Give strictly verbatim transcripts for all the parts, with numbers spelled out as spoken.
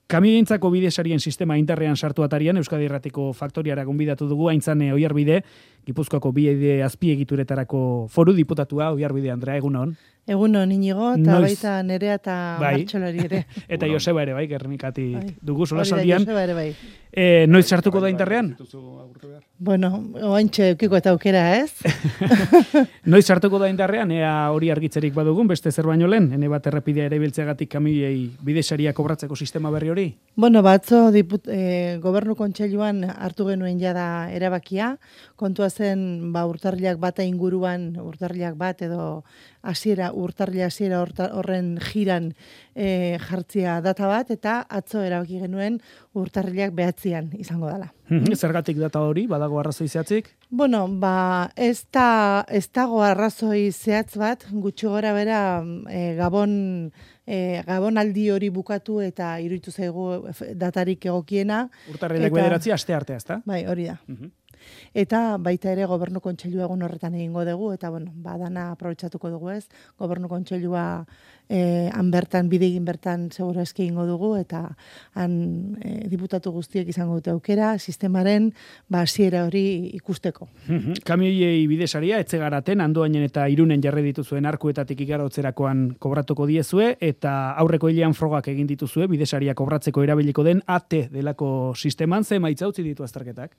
Kamioentzako bidesarien sistema indarrean sartu atarian Euskadi Irratiko faktoriara gonbidatu dugu Aintzane Oiarbide, Gipuzkoako bide azpiegituretarako foru diputatua. Oiarbide Andrea, egunon. Egunon Inigo, eta Noiz... baita Nerea eta bai. Martxolari ere. Eta Joseba ere, bai, Gernikati bai. dugu solasaldian. Joseba ere, bai. E, noiz sartuko da indarrean? Bueno, oantxe eukiko eta aukera, ez? Noiz sartuko da indarrean, ea hori argitzerik badugun, beste zer baino lehen, ene bat errepidea ere biltzeagatik kamioiei bidesaria kobratzeko sistema berri hori? Bueno, batzo diput, e, gobernu kontseiluan hartu genuen jada erabakia, kontua zen ba, urtarrilak bata inguruan, urtarrilak bat edo hasiera urtarrila hasiera horren jiran e, jartzia data bat, eta atzo erabaki genuen urtarrilak behatzian izango dela. Zergatik data hori, badago arrazoi zehatzik? Bueno, ba, ez, da, ez dago arrazoi zehatz bat, gutxi gora bera e, Gabon, e, Gabon aldi hori bukatu eta iruditu zaigu datarik egokiena. Urtarrilak bederatzi aste artea, ezta? Bai, hori da. Uh-huh. Eta baita ere gobernu kontseilu egun horretan egingo dugu, eta bueno, badana aprobetxatuko dugu ez, gobernu kontseilua eh, han bertan, bidegin bertan segura eski egingo dugu, eta han eh, diputatu guztiek izango dute aukera, sistemaren ba, hasiera hori ikusteko. Kamioiei bidesaria, etzegaraten, Andoainen eta Irunen jarri dituzuen arkuetatik igarotzerakoan kobratuko diezue, eta aurreko hilean frogak egin dituzue, bidesaria kobratzeko erabiliko den A T delako sisteman, ze emaitza utzi ditu azterketak?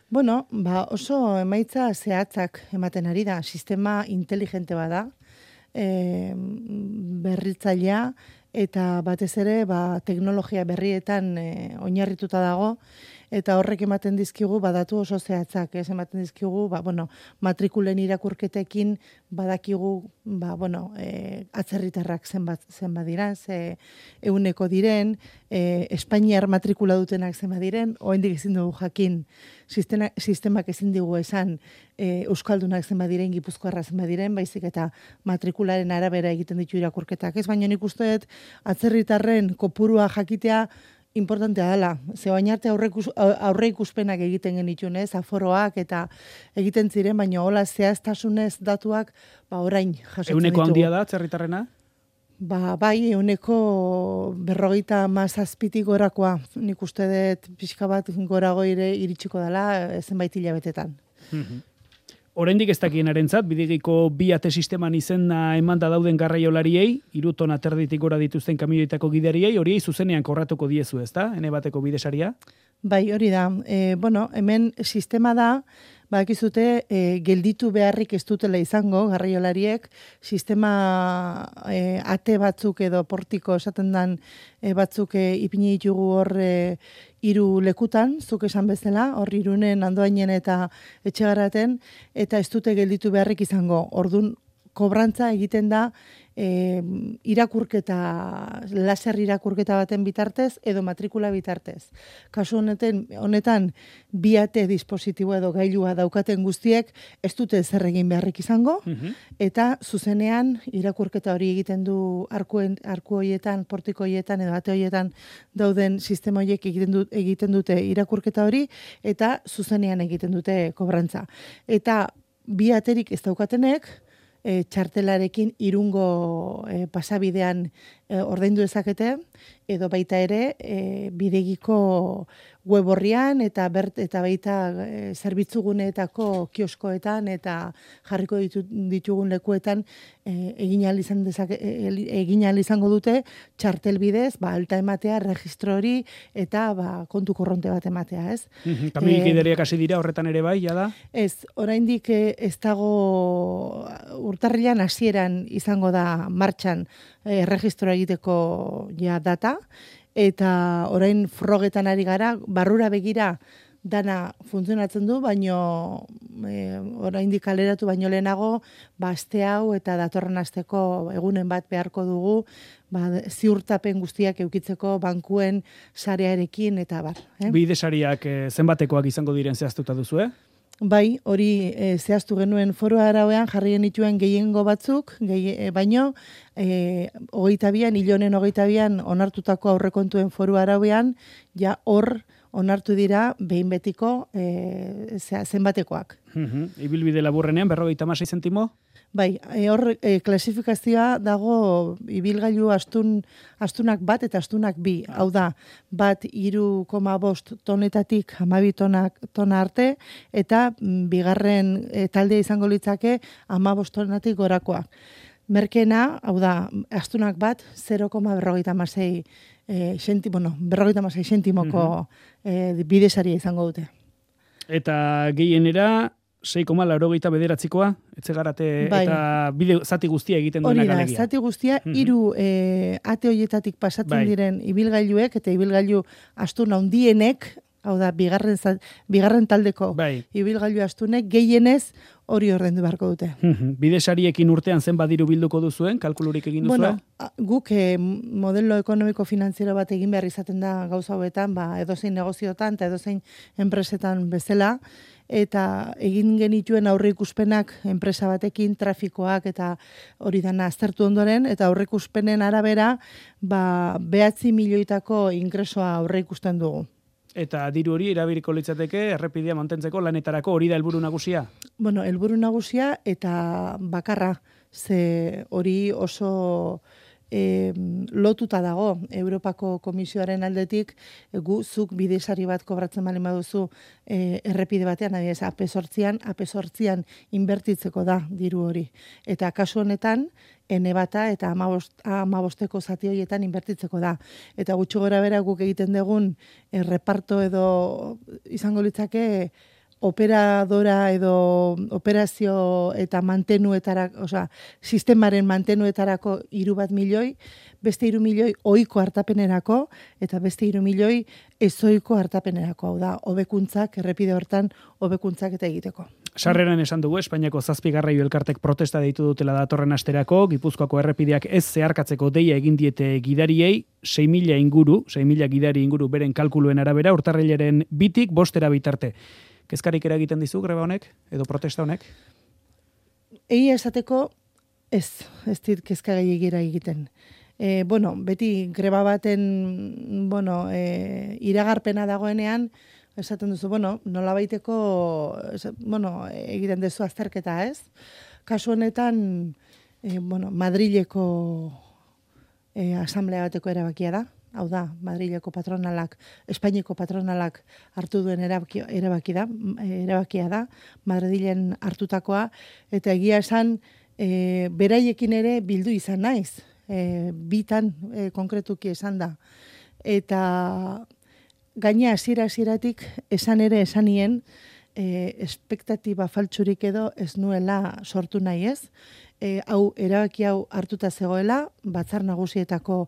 Bueno, ba oso emaitza zehatzak ematen ari da, sistema inteligente bada, e, berritzailea, eta batez ere ba, teknologia berrietan e, oinarrituta dago, eta horrek ematen dizkigu badatu oso zehatzak, ez ematen dizkigu, ba, bueno, matrikulen irakurketekin badakigu, ba, bueno, e, atzerritarrak zenbat, zenbat diren, ze euneko diren, e, Espainiar matrikula dutenak zenbat diren, oraindik ezin dugu jakin, sistema, sistemak ezin digu esan e, Euskaldunak zenbat diren, Gipuzkoarra zenbat diren, baizik eta matrikularen arabera egiten ditu irakurketak, ez? Baina nik uste dut atzerritarren kopurua jakitea importantea dela. Ze baina arte aurre ikuspenak egiten genitun, ez, aforoak eta egiten ziren, baina hola zehaztasunez datuak, ba orain jasotzen ditugu. Euneko handia da, atzerritarrena? Ba, bai, euneko berrogeita mazazpitik gorakoa. Nik uste dut pixka bat gorago ire iritsiko dela zenbait hilabetetan. Oraindik ez dakienarentzat, bidegiko bi ate sisteman izena emanda dauden garraiolariei, hiru tona terditik gora dituzten kamioitako gidariei, horiei zuzenean korratuko diezu, ezta? Ene bateko bidesaria? Bai, hori da. E, bueno, hemen sistema da, badakizute e, gelditu beharrik ez dutela izango garraiolariek, sistema e, ate batzuk edo portiko esaten dan e, batzuk e, ipini ditugu hor e, hiru lekutan, zuk esan bezala, hor Irunen, Andoainen eta Etxegaraten, eta ez dute gelditu beharrik izango. Ordun kobrantza egiten da e, irakurketa, laser irakurketa baten bitartez edo matrikula bitartez. Kasu honetan, honetan bi ate dispositibo edo gailua daukaten guztiek ez dute zer egin beharrik izango, eta zuzenean irakurketa hori egiten du arkuen, arku hoietan, portiko hoietan edo ate hoietan dauden sistema horiek egiten, du, egiten dute irakurketa hori, eta zuzenean egiten dute kobrantza. Eta bi aterik ez daukatenek, E, txartelarekin irungo e, pasabidean e, ordaindu dezakete, edo baita ere e, bidegiko web horrian eta bert eta baita e, zerbitzuguneetako kioskoetan eta jarriko ditu, ditugun lekuetan e, egin ahal izan dezake, e, egin ahal izango dute txartel bidez, ba alta ematea, registro hori eta ba kontu korronte bat ematea, ez? Kamioik gidariak hasi dira horretan ere bai, jada? Ez, oraindik ez dago urtarrilan hasieran izango da martxan e, registroa egiteko ja data, eta orain frogetan ari gara, barrura begira dana funtzionatzen du, baino e, oraindik kaleratu baino lehenago, ba aste hau eta datorren asteko egunen bat beharko dugu, ba ziurtapen guztiak edukitzeko bankuen sarearekin eta bar, eh? Bidesariak e, zenbatekoak izango diren zehaztuta duzu, eh? Bai, hori e, zehaztu genuen foru arauean jarri genituen gehiengo batzuk, gehi, e, baino e, hogeita bian, hilonen hogeita bian onartutako aurrekontuen foru arauean, ja hor onartu dira behin betiko e, zenbatekoak. Ibilbide laburrenean, berrogeita hamasei zentimo? Bai, e, hor e, klasifikazioa dago ibilgailu astun astunak bat eta astunak bi. Ah. Hau da, bat hiru koma bost tonetatik hamabi tonak tona arte eta mm, bigarren e, taldea izango litzake hamabost tonatik gorakoak. Merkena, hau da, astunak bat zero koma berrogeita hamasei e, senti, bueno, berrogeita hamasei sentimoko mm-hmm. e, bidesaria izango dute. Eta gehienera sei koma laurogeita bederatzikoa, etxegarate bai. Eta bide zati guztia egiten duena galegia. Hori da, zati guztia, hiru mm-hmm. e, ate hoietatik pasatzen bai. Diren ibilgailuek eta ibilgailu astun handienek, hau da, bigarren, bigarren taldeko bai. Ibilgailu astunek gehienez hori ordendu beharko dute. Bidesariekin urtean zen badiru bilduko duzuen, kalkulurik egin duzuen? Bueno, guk eh, modelo ekonomiko-finanziero bat egin behar izaten da gauza hauetan, ba, edozein negoziotan eta edozein enpresetan bezala, eta egin genituen aurreikuspenak enpresa batekin, trafikoak eta hori dana aztertu ondoren, eta aurreikuspenen arabera, ba, behatzi milioitako ingresoa aurreikusten dugu. Eta diru hori erabiliko litzateke errepidea mantentzeko lanetarako hori da helburu nagusia? Bueno, helburu nagusia eta bakarra, ze hori oso e, lotuta dago Europako Komisioaren aldetik, e, gu zuk bidesari bat kobratzen bali baduzu e, errepide batean, adibidez, A P zortzian, A P zortzian inbertitzeko da diru hori. Eta kasu honetan, ene bata eta hamabosteko zati horietan inbertitzeko da. Eta gutxi gora bera guk egiten dugun e, reparto edo izango litzake operadora edo operazio eta mantenuetarako, osea, sistemaren mantenuetarako hiru bat milioi, beste hiru milioi ohiko hartapenerako eta beste hiru milioi ezohiko hartapenerako, hau da, hobekuntzak errepide hortan hobekuntzak eta egiteko. Sarreran esan dugu, Espainiako zazpi garraio elkartek protesta deitu dutela datorren asterako, Gipuzkoako errepideak ez zeharkatzeko deia egin diete gidariei, sei mila inguru, sei mila gidari inguru beren kalkuluen arabera, urtarrilaren bitik bostera bitarte. Kezkarik eragiten dizu greba honek, edo protesta honek? Egia esateko, ez, ez dit kezka gehiagira egiten. E, bueno, beti greba baten, bueno, e, iragarpena dagoenean, esaten duzu, bueno, nola baiteko, bueno, egiten duzu azterketa, ez? Kasu honetan, e, bueno, Madrileko e, asamblea bateko erabakia da. Hau da, Madrileko patronalak, Espainiako patronalak hartu duen erabaki, erabaki da, erabakia da, Madrilen hartutakoa, eta egia esan, e, beraiekin ere bildu izan naiz, e, bitan e, konkretuki esan da. Eta gaina hasiera hasieratik esan ere esanien, e, espektatiba faltsurik edo ez nuela sortu nahi ez, E, hau erabaki hau hartuta zegoela, batzar nagusietako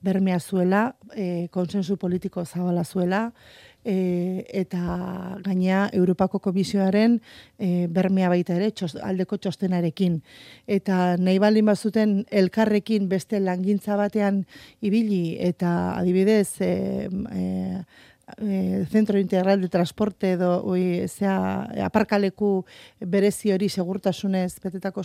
bermea zuela, e, konsensu politiko zabala zuela, e, eta gaina Europako Komisioaren e, bermea baita ere, txos, aldeko txostenarekin. Eta nahi baldin bazuten elkarrekin beste langintza batean ibili, eta adibidez, e, e, E, Centro Integral de Transporte edo oi, zea, aparkaleku berezi hori segurtasunez betetako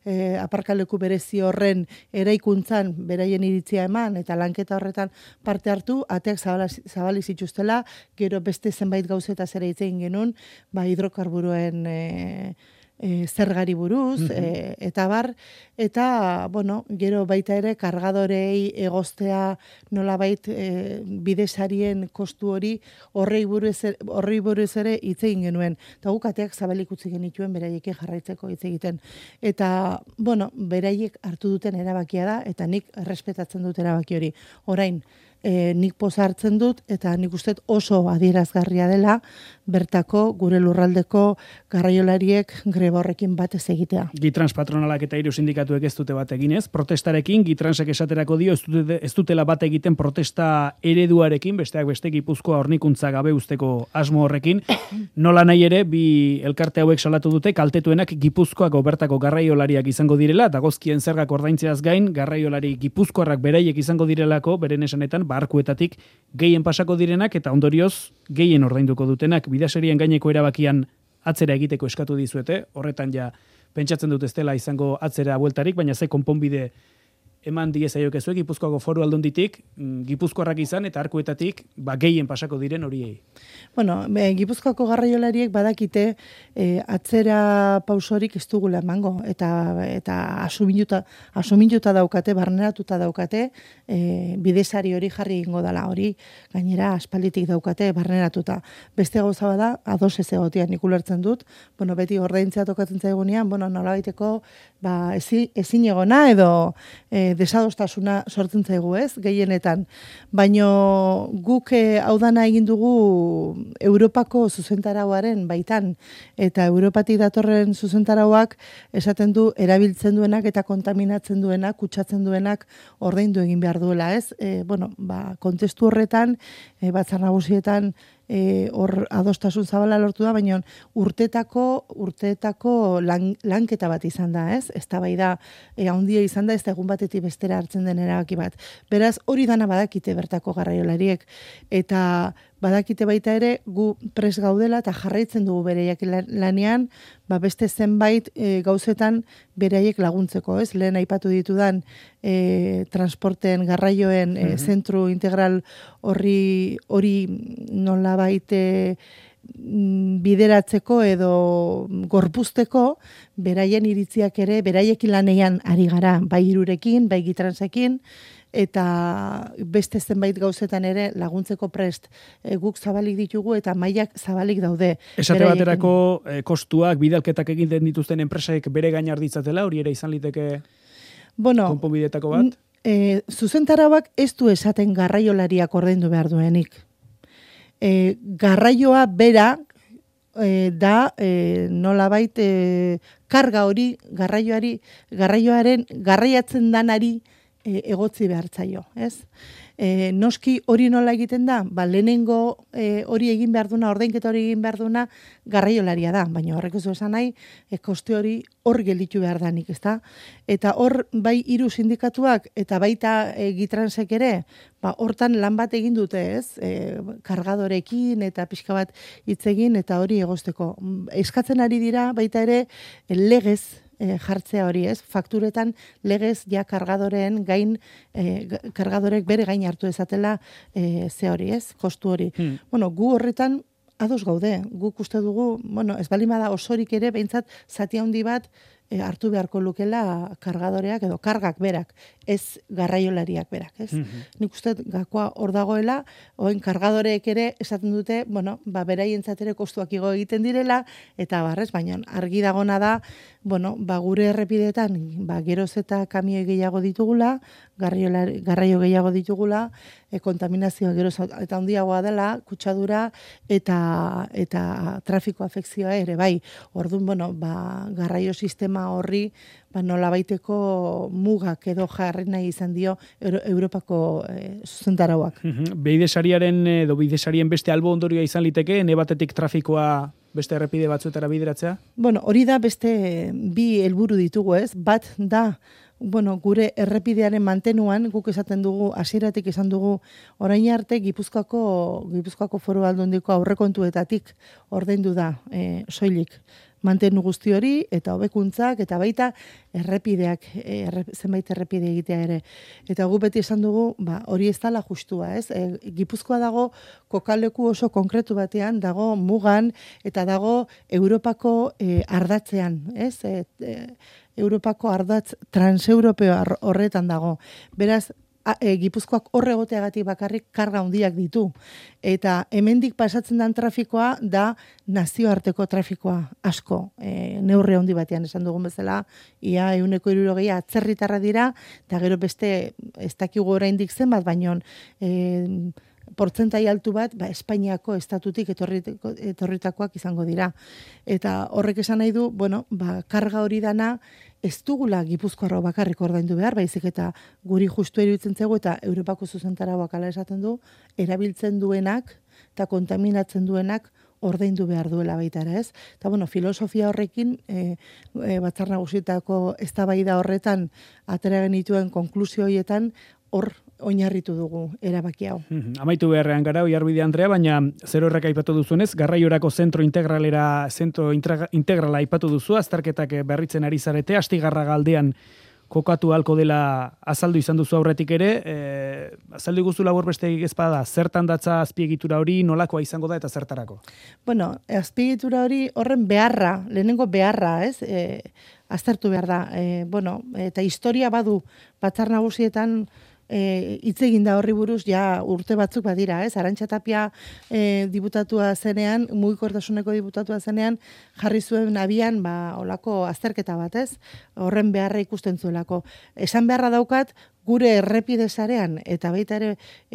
e, aparkaleku berezi horren eraikuntzan beraien iritzia eman eta lanketa horretan parte hartu, ateak zabali zituztela, gero beste zenbait gauzetaz ere hitz egin genuen, ba hidrokarburoen e, E, zergari buruz, mm-hmm. e, eta bar, eta, bueno, gero baita ere, kargadorei egoztea nolabait e, bidesarien kostu hori horrei buruz, horrei buruz ere hitz egin genuen. Eta guk ateak zabalik utzi genituen beraiekin jarraitzeko hitz egiten. Eta, bueno, beraiek hartu duten erabakia da, eta nik errespetatzen dut erabaki hori. Orain, E, nik poza hartzen dut, eta nik uste oso adierazgarria dela, bertako gure lurraldeko garraiolariek greba horrekin batez egitea. Gitrans patronalak eta hiru sindikatuek ez dute bat eginez, protestarekin, Gitransek esaterako dio, ez, dute, ez dutela bat egiten protesta ereduarekin, besteak beste Gipuzkoa hornikuntza gabe usteko asmo horrekin, nola nahi ere, bi elkarte hauek salatu dute, kaltetuenak Gipuzkoako bertako garraiolariak izango direla, dagozkien zergak ordaintzeaz gain, garraiolari Gipuzkoarrak beraiek izango direlako, beren esanetan, barkuetatik gehien pasako direnak eta ondorioz gehien ordainduko dutenak bidaserien gaineko erabakian atzera egiteko eskatu dizuete, horretan ja pentsatzen dut ez dela izango atzera bueltarik, baina ze konponbide eman diezaiokezue Gipuzkoako Foru Aldunditik, Gipuzkoarrak izan eta arkuetatik ba, gehien pasako diren horiei. Bueno, e, Gipuzkoako garraiolariek badakite e, atzera pausorik ez dugula emango eta eta asuminduta asuminduta daukate, barneratuta daukate, e, bidesari hori jarri egingo dela, hori gainera aspalditik daukate barneratuta. Beste gauza bada ados ez egotean nik ulertzen dut, bueno, beti ordaintzea tokatzen zaigunean, bueno, nolabaiteko ba ezin ezin egona edo e, desadostasuna sortzen zaigu, ez? Gehienetan. Baino guk e, hau dana egin dugu Europako zuzentarauaren baitan eta Europatik datorren zuzentarauak esaten du erabiltzen duenak eta kontaminatzen duenak, kutsatzen duenak ordaindu egin behar duela, ez? E, bueno, ba, kontestu horretan, e, batzar nagusietan E, hor adostasun zabala lortu da, baina urtetako urtetako lan, lanketa bat izan da, ez? Eztabaida e, handia izan da, ez da egun batetik bestera hartzen den erabaki bat. Beraz, hori dana badakite bertako garraiolariek eta badakite baita ere gu pres gaudela eta jarraitzen dugu bereiak lanean, ba beste zenbait e, gauzetan beraiek laguntzeko, ez? Lehen aipatu ditudan e, transporten garraioen e, zentru integral horri hori nola baite bideratzeko edo gorpuzteko beraien iritziak ere beraiekin lanean ari gara, bai irurekin, bai gitransekin, eta beste zenbait gauzetan ere laguntzeko prest e, guk zabalik ditugu eta mailak zabalik daude. Esate baterako e, kostuak, bidalketak egiten dituzten enpresaek bere gain harditzatela, hori ere izan liteke bueno, konponbidetako bat? E, zuzentarauak ez du esaten garraiolariak ordaindu behar duenik. E, garraioa bera e, da e, nolabait e, karga hori garraioari garraioaren garraiatzen danari e, egotzi behartzaio, ez? E, noski hori nola egiten da? Ba, lehenengo e, hori egin behar duna, ordainketa hori egin behar duna garraiolaria da, baina horrek ez du esan nahi, e, koste hori hor gelditu behar danik, ezta? Eta hor bai hiru sindikatuak eta baita e, gitransek ere, ba, hortan lan bat egin dute, ez? E, kargadorekin eta pixka bat hitz egin eta hori egosteko. Eskatzen ari dira baita ere legez e, jartzea hori, ez? Fakturetan legez ja kargadoreen gain e, kargadorek bere gain hartu ezatela e, ze hori, ez? Kostu hori. Hmm. Bueno, gu horretan ados gaude. Guk uste dugu, bueno, ez bali bada osorik ere behintzat zati handi bat e, hartu beharko lukela kargadoreak edo kargak berak, ez garraiolariak berak, ez? Mm-hmm. Nik uste gakoa hor dagoela, oen kargadoreek ere esaten dute, bueno, ba beraientzat ere kostuak igo egiten direla eta barrez, baina argi dagona da, bueno, ba gure errepidetan, ba geroz eta kamioi gehiago ditugula, garraio gehiago ditugula, e, kontaminazioa geroz eta handiagoa dela, kutsadura eta eta trafiko afekzioa ere bai. Orduan, bueno, ba garraio sistema horri ba nolabaiteko mugak edo jarri nahi izan dio Euro, Europako e, zuzentarauak. Bidesariaren edo bidesarien beste albo ondorioa izan liteke, ne batetik trafikoa beste errepide batzuetara bideratzea? Bueno, hori da beste bi helburu ditugu, ez? Bat da, bueno, gure errepidearen mantenuan, guk esaten dugu, hasieratik esan dugu, orain arte Gipuzkoako Gipuzkoako Foru Aldundiko aurrekontuetatik ordaindu da e, soilik mantenu guzti hori eta hobekuntzak eta baita errepideak erre, zenbait errepide egitea ere. Eta gu beti esan dugu, ba, hori ez dela justua, ez? E, Gipuzkoa dago kokaleku oso konkretu batean, dago mugan eta dago Europako e, ardatzean, ez? E, e, Europako ardatz transeuropeo horretan dago. Beraz, A, e, Gipuzkoak horre egoteagatik bakarrik karga handiak ditu. Eta hemendik pasatzen den trafikoa da nazioarteko trafikoa asko. E, neurri handi batean esan dugun bezala, ia ehuneko hirurogeia atzerritarra dira, eta gero beste ez dakigu oraindik zenbat, baino e, portzentai altu bat, ba, Espainiako estatutik etorritako, etorritakoak izango dira. Eta horrek esan nahi du, bueno, ba, karga hori dana, ez dugula Gipuzkoarro bakarrik ordaindu behar, baizik eta guri justu iruditzen zaigu eta Europako zuzentarauak hala esaten du, erabiltzen duenak eta kontaminatzen duenak ordaindu behar duela baita ere, ez? Eta bueno, filosofia horrekin e, e, Batzar Nagusietako eztabaida horretan atera genituen konklusio horietan hor oinarritu dugu erabaki hau. Mm-hmm. Amaitu beharrean gara, Oiarbide Andrea, baina zer horrek aipatu duzunez, garraiorako zentro integralera, zentro integrala aipatu duzu, azterketak berritzen ari zarete, Astigarraga aldean kokatu halko dela azaldu izan duzu aurretik ere, e, azaldu guzu labur besteik ezpada, zertan datza azpiegitura hori, nolakoa izango da eta zertarako? Bueno, azpiegitura hori horren beharra, lehenengo beharra, ez? E, aztertu behar da. E, bueno, eta historia badu Batzar Nagusietan hitz e, egin da horri buruz ja urte batzuk badira, ez? Arantxa Tapia e, diputatua zenean, mugikortasuneko diputatua zenean, jarri zuen abian, ba, olako azterketa bat, ez? Horren beharra ikusten zuelako. Esan beharra daukat, gure errepide sarean eta baita ere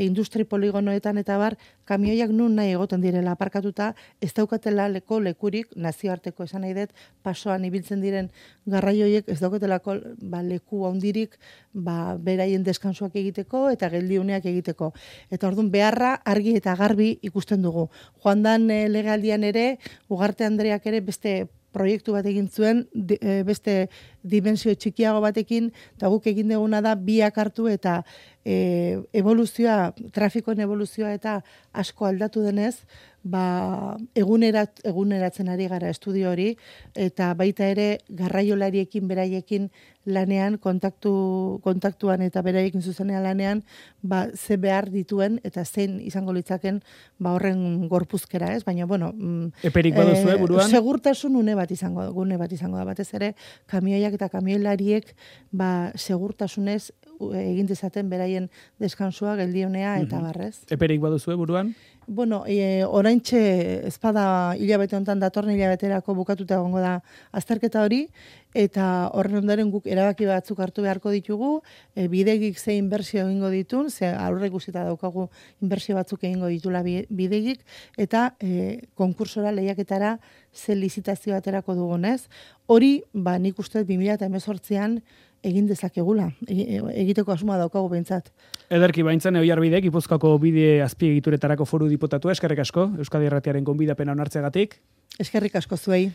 industri poligonoetan eta bar, kamioiak nun nahi egoten direla aparkatuta, ez daukatela leko lekurik, nazioarteko esan nahi dut, pasoan ibiltzen diren garraioiek ez daukatelako ba, leku handirik ba, beraien deskansuak egiteko eta geldiuneak egiteko. Eta orduan beharra argi eta garbi ikusten dugu. Joan dan e, legealdian ere, Ugarte Andreak ere beste proiektu bat egin zuen, di, e, beste dimensio txikiago batekin, eta guk egin duguna da biak hartu eta e, evoluzioa, trafikoen evoluzioa eta asko aldatu denez, ba, egunerat, eguneratzen ari gara estudio hori, eta baita ere garraiolariekin, beraiekin lanean, kontaktu, kontaktuan eta beraiekin zuzenean lanean, ba, ze behar dituen eta zein izango litzaken ba, horren gorpuzkera, ez? Baina, bueno... Eperik baduzu, e, buruan? Segurtasun une bat izango, gune bat izango da, batez ere, kamioiak eta kamioilariek ba, segurtasunez egin dezaten beraien deskansua, geldionea eta barrez. Eperik baduzu, buruan? Bueno, e, oraintxe ezpada hilabete honetan datorren hilabeterako bukatuta egongo da azterketa hori, eta horren ondoren guk erabaki batzuk hartu beharko ditugu, e, bidegik ze inbertsio egingo ditun, ze aurre guztita daukagu inbertsio batzuk egingo ditula bidegik, eta e, konkursora lehiaketara ze lizitazio aterako dugunez. Hori, ba, nik uste bi mila hemezortzian egin dezakegula, egiteko asmoa daukagu behintzat. Ederki baintzan Oiarbidek, Gipuzkoako bide azpiegituretarako foru diputatua, eskerrik asko, Euskadi Irratiaren gonbidapena onartzeagatik. Eskerrik asko zuei.